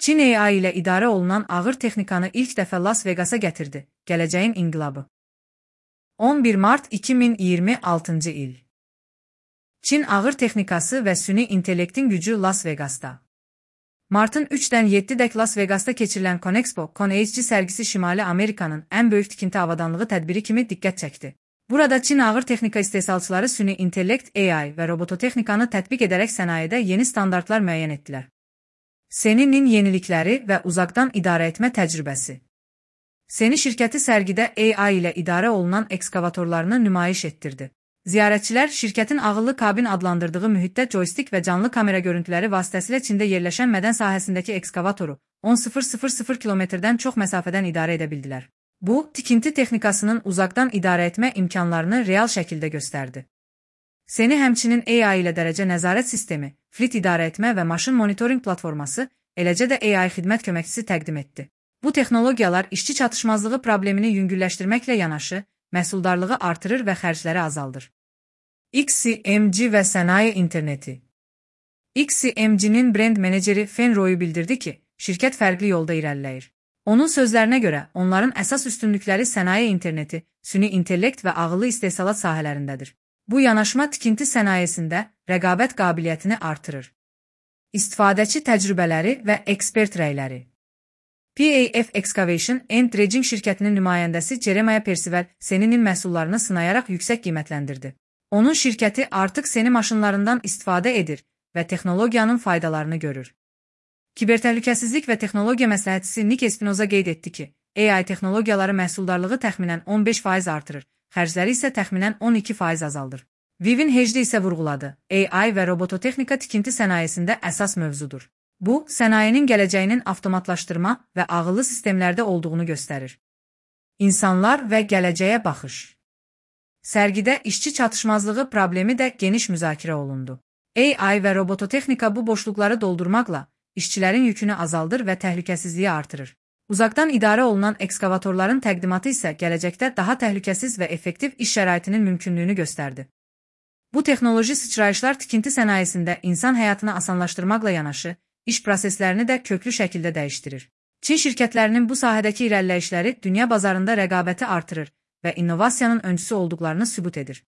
Çin AI ilə idarə olunan ağır texnikanı ilk dəfə Las Vegas'a gətirdi. Gələcəyin inqilabı. 11 mart 2026 il. Çin ağır texnikası və süni intellektin gücü Las Vegas'da. Martın 3-dən 7-dək Las Vegas'da keçirilən ConExpo, ConExG sərgisi Şimali Amerikanın ən böyük tikinti avadanlığı tədbiri kimi diqqət çəkdi. Burada Çin ağır texnika istehsalçıları süni intellekt, AI və robototexnikanı tətbiq edərək sənayedə yeni standartlar müəyyən etdilər. Seninin yenilikləri və uzaqdan idarə etmə təcrübəsi. Seni şirkəti sərgidə AI ilə idarə olunan ekskavatorlarını nümayiş etdirdi. Ziyarətçilər şirkətin ağıllı kabin adlandırdığı mühitdə joystick və canlı kamera görüntüləri vasitəsilə Çində yerləşən mədən sahəsindəki ekskavatoru 10.000 kilometrdən çox məsafədən idarə edə bildilər. Bu, tikinti texnikasının uzaqdan idarə etmə imkanlarını real şəkildə göstərdi. Seni həmçinin AI ilə dərəcə nəzarət sistemi, fleet idarə etmə və maşın monitoring platforması, eləcə də AI xidmət köməkçisi təqdim etdi. Bu texnologiyalar işçi çatışmazlığı problemini yüngülləşdirməklə yanaşı, məhsuldarlığı artırır və xərcləri azaldır. XCMG və sənaye interneti. XCMG-nin brend meneceri Fen Royu bildirdi ki, şirkət fərqli yolda irəliləyir. Onun sözlərinə görə, onların əsas üstünlükləri sənaye interneti, süni intellekt və ağıllı istehsalat sahələrindədir. Bu yanaşma tikinti sənayesində rəqabət qabiliyyətini artırır. İstifadəçi təcrübələri və ekspert rəyləri. PAF Excavation and Dredging şirkətinin nümayəndəsi Jeremiah Percival Seninin məhsullarını sınayaraq yüksək qiymətləndirdi. Onun şirkəti artıq Seni maşınlarından istifadə edir və texnologiyanın faydalarını görür. Kibertəhlükəsizlik və texnologiya məsləhətçisi Nick Espinoza qeyd etdi ki, AI texnologiyaları məhsuldarlığı təxminən 15% artırır, xərcləri isə təxminən 12% azaldır. Vivin Hecdi isə vurğuladı, AI və robototexnika tikinti sənayesində əsas mövzudur. Bu, sənayenin gələcəyinin avtomatlaşdırma və ağıllı sistemlərdə olduğunu göstərir. İnsanlar və gələcəyə baxış. Sərgidə işçi çatışmazlığı problemi də geniş müzakirə olundu. AI və robototexnika bu boşluqları doldurmaqla işçilərin yükünü azaldır və təhlükəsizliyi artırır. Uzaqdan idarə olunan ekskavatorların təqdimatı isə gələcəkdə daha təhlükəsiz və effektiv iş şəraitinin mümkünlüyünü göstərdi. Bu texnoloji sıçrayışlar tikinti sənayesində insan həyatını asanlaşdırmaqla yanaşı, iş proseslərini də köklü şəkildə dəyişdirir. Çin şirkətlərinin bu sahədəki irəliləyişləri dünya bazarında rəqabəti artırır və innovasiyanın öncüsü olduqlarını sübut edir.